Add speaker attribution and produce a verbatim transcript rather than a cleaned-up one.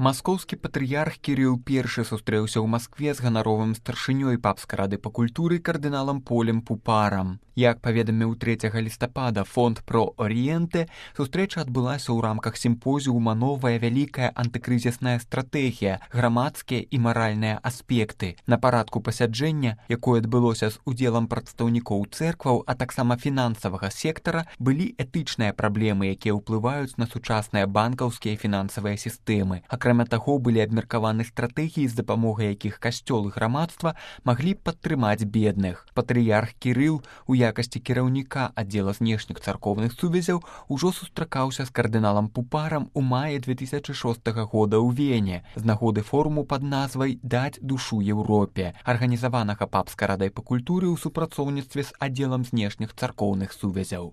Speaker 1: Маскоўскі патрыярх Кірыл першы сустрэўся ў Маскве з ганаровым старшынёй папскай рады па культуры кардыналам Полем Пупарам. Як паведаміў трэцяга лістапада фонд «Про Орієнте», сустрэча адбылася ў рамках сімпозіума «Новая вялікая антыкрызісная стратэгія. Грамадскія і маральныя аспекты». На парадку пасяджэння, якое адбылося з удзелам прадстаўнікоў цэркваў, а таксама фінансавага сектара, былі этычныя праблемы, якія ўплываюць на сучасныя банкаўскія і фінансавыя сістэмы. Акрамя таго, былі абмеркаваны стратэгіі, з дапамогай якіх касцёл і грамадства маглі падтрымаць бедных. Патрыярх Кірыл у якасці кіраўніка аддзела знешніх царкоўных сувязяў ужо сустракаўся з кардыналам Пупарам у маі две тысячы шостага года ў Вене з нагоды форуму пад назвай «Даць душу Еўропе», арганізаванага папскай радай па культуры ў супрацоўніцтве з аддзелам знешніх царкоўных сувязяў.